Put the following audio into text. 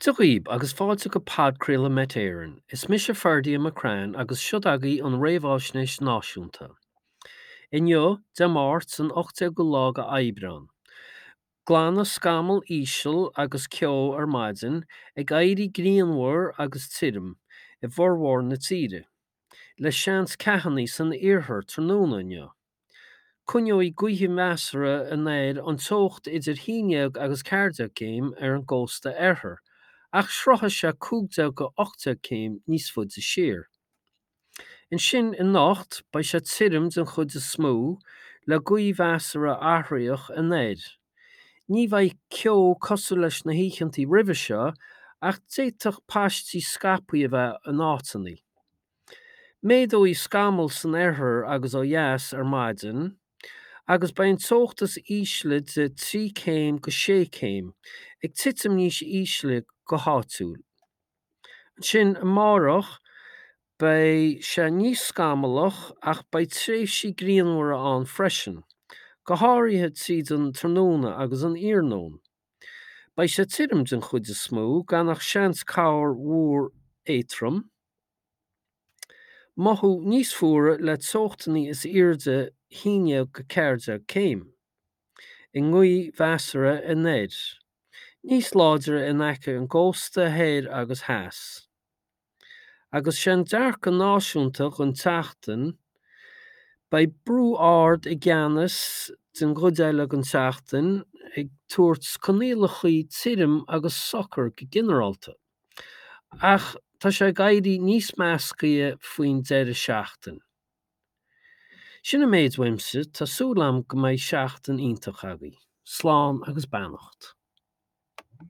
Dia dhaoib agus fáilte go podchraoladh Met Éireann. Is mise Ferdia McCrann agus siod agaibh an Réamháisnéis Náisiúnta. Inniu, Dé Máirt an 18ú lá de Aibreán. Glanadh scamall íseal agus ceo ar maidin, ag éirí grianmhar agus tirim i bhformhór na tíre, le seans ceathanna san iarthar tráthnóna inniu. Coinneoidh gaotha measartha anoir an teocht idir 11 agus 14 céim ar an gcósta oirthir, ach sroichfidh sé 15-18 céim níos faide siar. Ansin anocht, beidh sé tirim den chuid is mó, le gaoth mheasartha athraitheach anoir. Ní bheidh ceo cosúil leis na hoícheanta roimhe seo, ach d'fhéadfadh paistí scaipthe a bheith in áiteanna. Méadóidh scamaill san oirthear agus ó dheas ar maidin agus beidh an teocht is ísle de 3 céim go 6 céim, ag titim níos ísle go háitiúil. Ansin amárach beidh sé níos scamallach ach beidh tréimhsí grianmhara ann freisin, go háirithe tríd an tráthnóna agus an iarnóin. Beidh sé tirim den chuid is mó, gan ach seans corrmhúr éadrom. Mothú níos fuaire le teochtanna is airde 11 go 14 céim. I ngaoth mheasartha anoir. Níos láidre in aice an gcósta thoir agus theas. Agus sé an dearcadh náisiúnta don tseachtain, beidh brú ard i gceannas den gcuid eile den tseachtain, ag tabhairt coinníollacha tirim agus socair go ginearálta. Ach tá sé ag éirí níos meascaithe faoin deireadh seachtain. Sin an méid uaimse, tá súil agam go mbeidh seachtain iontach agaibh. Slán agus beannacht.